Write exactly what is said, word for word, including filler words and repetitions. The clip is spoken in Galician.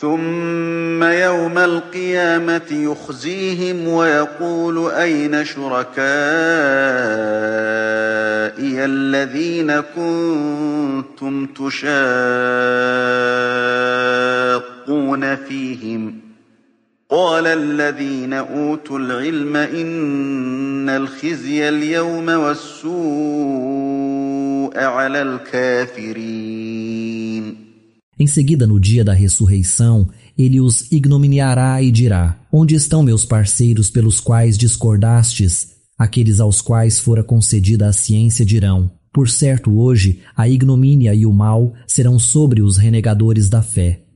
ثم يوم القيامة يخزيهم ويقول أين شركائي الذين كنتم تشاقون فيهم قال الذين أوتوا العلم إن الخزي اليوم والسوء على الكافرين. Em seguida, no dia da ressurreição, ele os ignominiará e dirá: onde estão meus parceiros pelos quais discordastes? Aqueles aos quais fora concedida a ciência dirão: por certo, hoje a ignomínia e o mal serão sobre os renegadores da fé.